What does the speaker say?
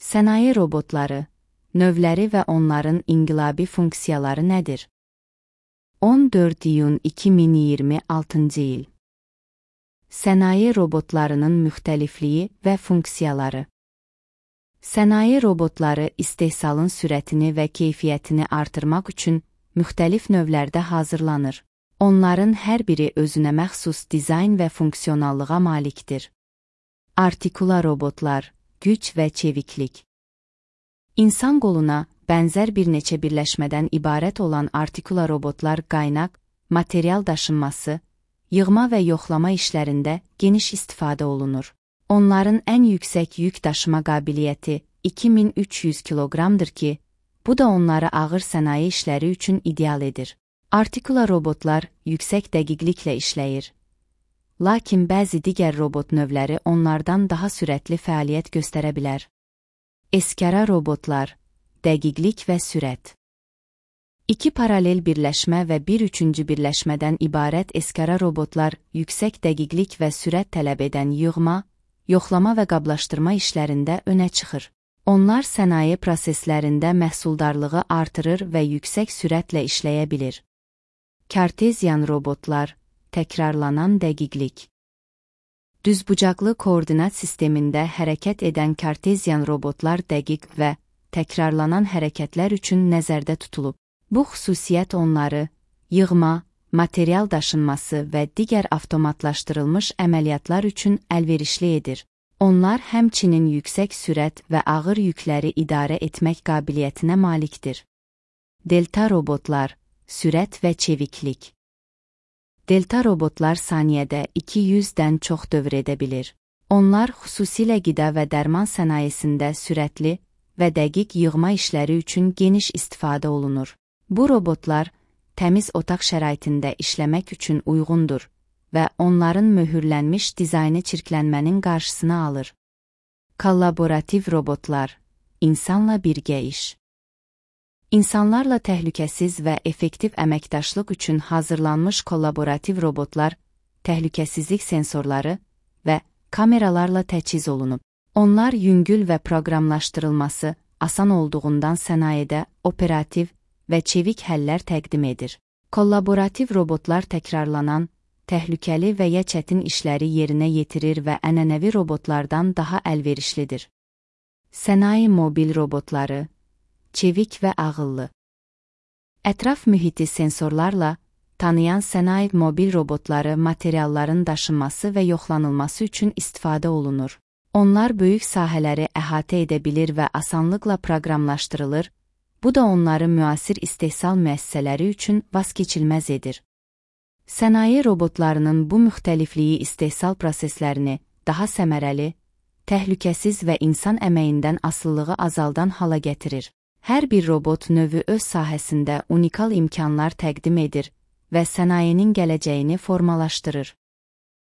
Sənaye robotları, növləri və onların inqilabi funksiyaları nədir? 14 iyun 2026 il. Sənaye robotlarının müxtəlifliyi və funksiyaları. Sənaye robotları istehsalın sürətini və keyfiyyətini artırmaq üçün müxtəlif növlərdə hazırlanır. Onların hər biri özünə məxsus dizayn və funksionallığa malikdir. Artikula robotlar, güc və çeviklik. İnsan qoluna bənzər bir neçə birləşmədən ibarət olan artikula robotlar qaynaq, material daşınması, yığma və yoxlama işlərində geniş istifadə olunur. Onların ən yüksək yük daşıma qabiliyyəti 2300 kiloqramdır ki, bu da onları ağır sənaye işləri üçün ideal edir. Artikula robotlar yüksək dəqiqliklə işləyir. Lakin bəzi digər robot növləri onlardan daha sürətli fəaliyyət göstərə bilər. Eskara robotlar, dəqiqlik və sürət. İki paralel birləşmə və bir üçüncü birləşmədən ibarət eskara robotlar yüksək dəqiqlik və sürət tələb edən yığma, yoxlama və qablaşdırma işlərində önə çıxır. Onlar sənaye proseslərində məhsuldarlığı artırır və yüksək sürətlə işləyə bilir. Kartezyan robotlar, təkrarlanan dəqiqlik. Düzbucaqlı koordinat sistemində hərəkət edən kartezyan robotlar dəqiq və təkrarlanan hərəkətlər üçün nəzərdə tutulub. Bu xüsusiyyət onları yığma, material daşınması və digər avtomatlaşdırılmış əməliyyatlar üçün əlverişli edir. Onlar həmçinin yüksək sürət və ağır yükləri idarə etmək qabiliyyətinə malikdir. Delta robotlar, sürət və çeviklik. Delta robotlar saniyədə 200-dən çox dövr edə bilir. Onlar xüsusilə qida və dərman sənayesində sürətli və dəqiq yığma işləri üçün geniş istifadə olunur. Bu robotlar təmiz otaq şəraitində işləmək üçün uyğundur və onların möhürlənmiş dizaynı çirklənmənin qarşısını alır. Kollaborativ robotlar, insanla birgə iş. İnsanlarla təhlükəsiz və effektiv əməkdaşlıq üçün hazırlanmış kollaborativ robotlar, təhlükəsizlik sensorları və kameralarla təchiz olunub. Onlar yüngül və proqramlaşdırılması asan olduğundan sənayedə operativ və çevik həllər təqdim edir. Kollaborativ robotlar təkrarlanan, təhlükəli və ya çətin işləri yerinə yetirir və ənənəvi robotlardan daha əlverişlidir. Sənaye mobil robotları, çevik və ağıllı. Ətraf mühiti sensorlarla tanıyan sənaye mobil robotları materialların daşınması və yoxlanılması üçün istifadə olunur. Onlar böyük sahələri əhatə edə bilir və asanlıqla proqramlaşdırılır, bu da onları müasir istehsal müəssisələri üçün vazkeçilməz edir. Sənaye robotlarının bu müxtəlifliyi istehsal proseslərini daha səmərəli, təhlükəsiz və insan əməyindən asılılığı azaldan hala gətirir. Hər bir robot növü öz sahəsində unikal imkanlar təqdim edir və sənayenin gələcəyini formalaşdırır.